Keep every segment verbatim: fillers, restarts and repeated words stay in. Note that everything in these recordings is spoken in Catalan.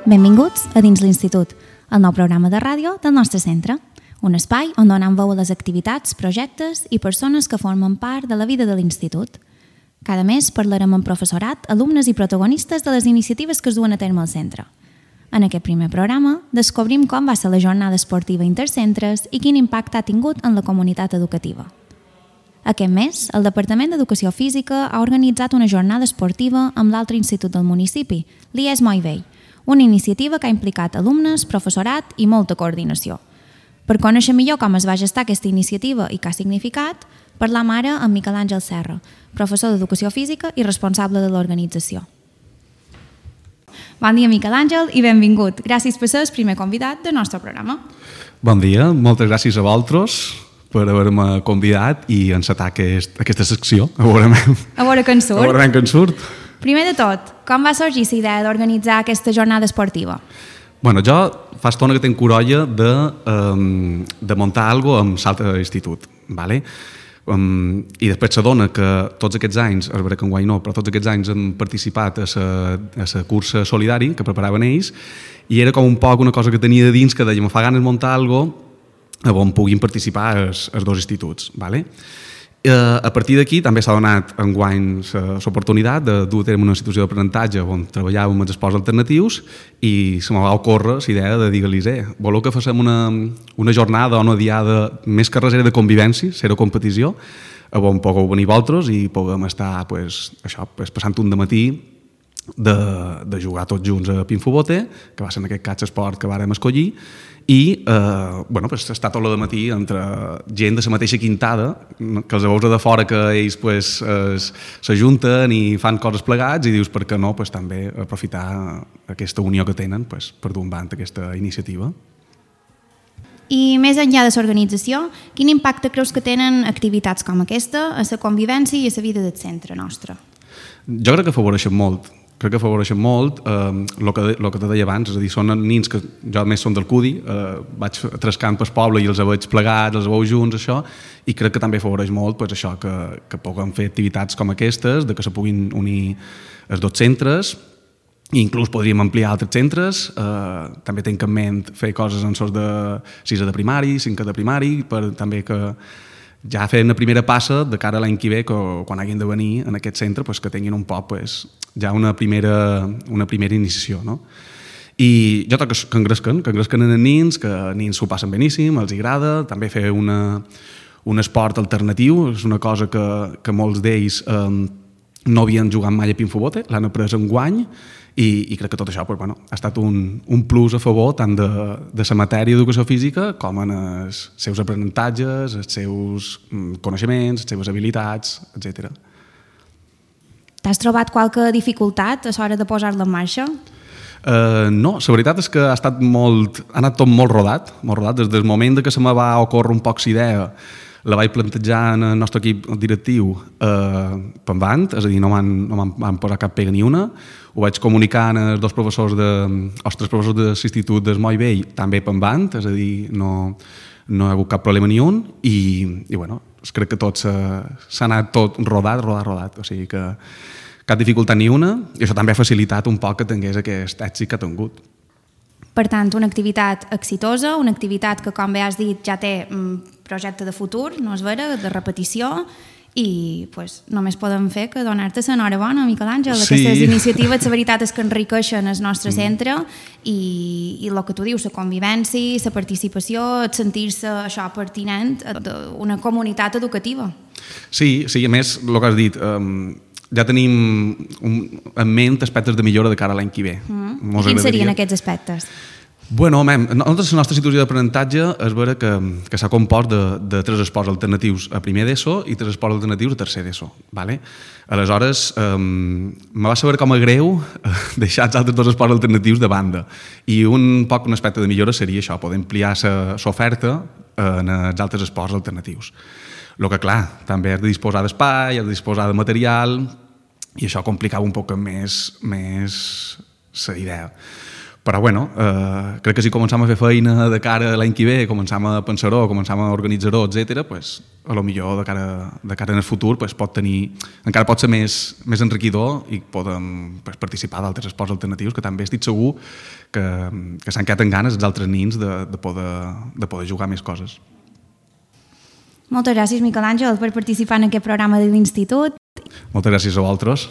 Benvinguts a Dins l'Institut, el nou programa de ràdio del nostre centre. Un espai on donem veu a les activitats, projectes i persones que formen part de la vida de l'Institut. Cada mes parlarem amb professorat, alumnes i protagonistes de les iniciatives que es duen a terme al centre. En aquest primer programa descobrim com va ser la jornada esportiva intercentres i quin impacte ha tingut en la comunitat educativa. Aquest mes, el Departament d'Educació Física ha organitzat una jornada esportiva amb l'altre institut del municipi, l'I E S Moivell, una iniciativa que ha implicat alumnes, professorat i molta coordinació. Per conèixer millor com es va gestar aquesta iniciativa i què ha significat, parlam ara amb Miquel Àngel Serra, professor d'Educació Física i responsable de l'organització. Bon dia, Miquel Àngel, i benvingut. Gràcies per ser el primer convidat del nostre programa. Bon dia, moltes gràcies a vosaltres per haver-me convidat i encetar aquest, aquesta secció. A veure, a veure què en surt. A veure què en surt. Primer de tot, com va sorgir la idea d'organitzar aquesta jornada esportiva? Bueno, jo fa estona que tinc corolla de, um, de muntar alguna cosa amb l'altre institut. ¿Vale? Um, I després s'adona que tots aquests anys, és veritat que enguany no, però tots aquests anys hem participat a la cursa solidari que preparaven ells i era com un poc una cosa que tenia de dins que deia, me fa ganes muntar alguna cosa on puguin participar els, els dos instituts. ¿Vale? Eh, a partir d'aquí també s'ha donat enguany l'oportunitat de dur a terme una institució d'aprenentatge on treballàvem amb els esports alternatius i se me va ocórrer la idea de dir-los eh, voleu que facem una, una jornada o una diada més que res era de convivència, zero competició, on pugueu venir vosaltres i puguem estar pues, això, pues, passant un dematí de, de jugar tots junts a Pinfobote, que va ser en aquest cas l'esport que vàrem escollir, i eh, bueno, pues, està tot el matí entre gent de la mateixa quintada, que els veus de fora que ells pues, s'ajunten i fan coses plegats i dius per què no pues, també aprofitar aquesta unió que tenen pues, per dur endavant aquesta iniciativa. I més enllà de l'organització, quin impacte creus que tenen activitats com aquesta a la convivència i a la vida del centre nostre? Jo crec que afavoreixen molt. crec que afavoreixen molt el eh, que, lo que te deia abans, és a dir, són nins que jo més són del Cudi, eh, vaig trascant pel poble i els veig plegats, els veus junts, això, i crec que també afavoreix molt pues, això, que, que puguem fer activitats com aquestes, de que se puguin unir els dos centres, i inclús podríem ampliar altres centres, eh, també tinc en ment fer coses en sorts de sisè de primari, cinquè de primari, per també que ja fer una primera passa de cara a l'any que ve, que quan hagin de venir en aquest centre, pues, que tinguin un poc pues, ja una primera, una primera iniciació. No? I jo trobo que engresquen, que engresquen en nins, que nins s'ho passen beníssim, els agrada, també fer una, un esport alternatiu, és una cosa que, que molts d'ells eh, no havien jugat mai a Pinfobote, l'han après enguany, i, i crec que tot això pues, bueno, ha estat un, un plus a favor tant de, de la matèria d'educació física com en els seus aprenentatges, els seus coneixements, les seves habilitats, etcètera. T'has trobat qualque dificultat a l'hora de posar-la en marxa? Uh, no, la veritat és que ha estat molt, ha anat tot molt rodat, molt rodat. Des del moment que se me va ocórrer un poc la idea, la vaig plantejar en el nostre equip directiu eh, per endavant, és a dir, no m'han no van posar cap pega ni una, ho vaig comunicar als dos professors de, als tres professors de l'institut del Moivell també per endavant, és a dir, no, no hi ha hagut cap problema ni un, i, i bueno, crec que tot s'ha anat tot rodat, rodat, rodat, o sigui que cap dificultat ni una, i això també ha facilitat un poc que tingués aquest èxit que ha tingut. Per tant, una activitat exitosa, una activitat que, com bé has dit, ja té un projecte de futur, no és vera, de repetició, i pues, només podem fer que donar-te l'enhorabona, Miquel Àngel. Sí. Aquestes iniciatives, la veritat és que enriqueixen el nostre centre i, i el que tu dius, la convivència, la participació, sentir-se això pertinent d'una comunitat educativa. Sí, sí, a més, el que has dit, um, ja tenim un, en ment aspectes de millora de cara a l'any que ve. Mm. I quins serien aquests aspectes? Bueno, mem, nosaltres, la nostra institució d'aprenentatge és vera que, que s'ha compost de, de tres esports alternatius a primer d'ESO i tres esports alternatius a tercer d'ESO. Vale? Aleshores, eh, me va saber com a greu deixar els altres dos esports alternatius de banda. I un poc un aspecte de millora seria això, poder ampliar l'oferta en els altres esports alternatius. El que, clar, també has de disposar d'espai, has de disposar de material, i això complicava un poc més, més la idea. Però, bueno, eh, crec que si començam a fer feina de cara a l'any que ve, començam a pensar-ho, començam a organitzar-ho, etcètera, pues, a lo millor de cara, de cara en el futur pues, pot tenir, encara pot ser més, més enriquidor i podem pues, participar d'altres esports alternatius que també estic segur que, que s'han quedat en ganes els altres nins de, de, poder, de poder jugar més coses. Moltes gràcies, Miquel Àngel, per participar en aquest programa de l'Institut. Moltes gràcies a vosaltres.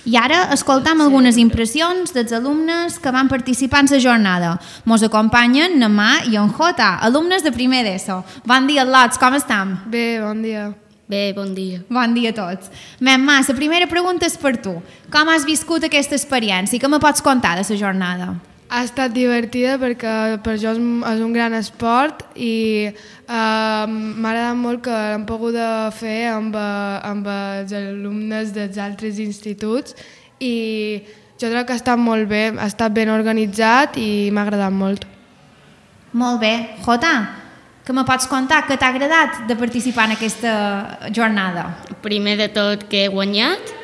I ara escoltam algunes impressions dels alumnes que van participar en la jornada. Mos acompanyen en Mà i en Jota, alumnes de primer d'ESO. Bon dia, lots, com estem? Bé, bon dia. Bé, bon dia. Bon dia a tots. Mem, Mà, la primera pregunta és per tu. Com has viscut aquesta experiència i què me pots contar de la jornada? Ha estat divertida perquè per jo és un gran esport i eh, m'ha agradat molt que l'hem pogut fer amb, amb els alumnes dels altres instituts i jo crec que ha estat molt bé, ha estat ben organitzat i m'ha agradat molt. Molt bé. Jota, què me pots contar? Què t'ha agradat de participar en aquesta jornada? Primer de tot que he guanyat,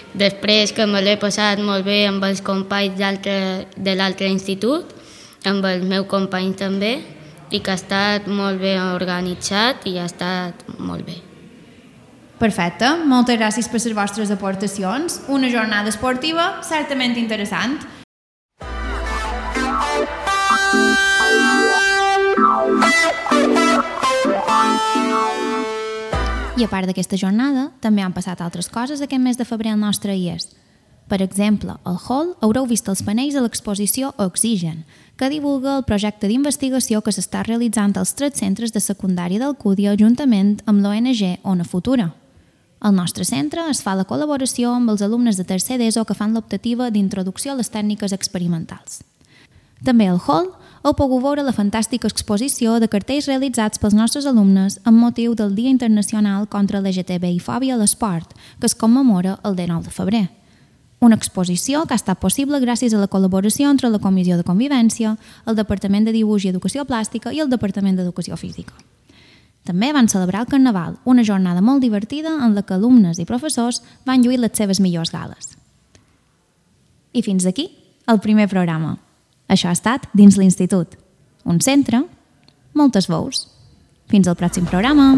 després que me l'he passat molt bé amb els companys de l'altre institut, amb els meus companys també, i que ha estat molt ben organitzat i ha estat molt bé. Perfecte, moltes gràcies per les vostres aportacions. Una jornada esportiva certament interessant. I a part d'aquesta jornada, també han passat altres coses aquest mes de febrer al nostre I E S. Per exemple, al Hall haureu vist els panells a l'exposició Oxigen, que divulga el projecte d'investigació que s'està realitzant als tres centres de secundària d'Alcúdia juntament amb l'O N G Ona Futura. Al nostre centre es fa la col·laboració amb els alumnes de tercer d'ESO que fan l'optativa d'introducció a les tècniques experimentals. També al Hall heu pogut veure la fantàstica exposició de cartells realitzats pels nostres alumnes amb motiu del Dia Internacional contra l'L G T B I fòbia a l'esport, que es commemora el dinou de febrer. Una exposició que ha estat possible gràcies a la col·laboració entre la Comissió de Convivència, el Departament de Dibuix i Educació Plàstica i el Departament d'Educació Física. També van celebrar el Carnaval, una jornada molt divertida en la que alumnes i professors van lluir les seves millors gales. I fins aquí el primer programa. Això ha estat Dins l'Institut. Un centre, moltes veus. Fins al pròxim programa.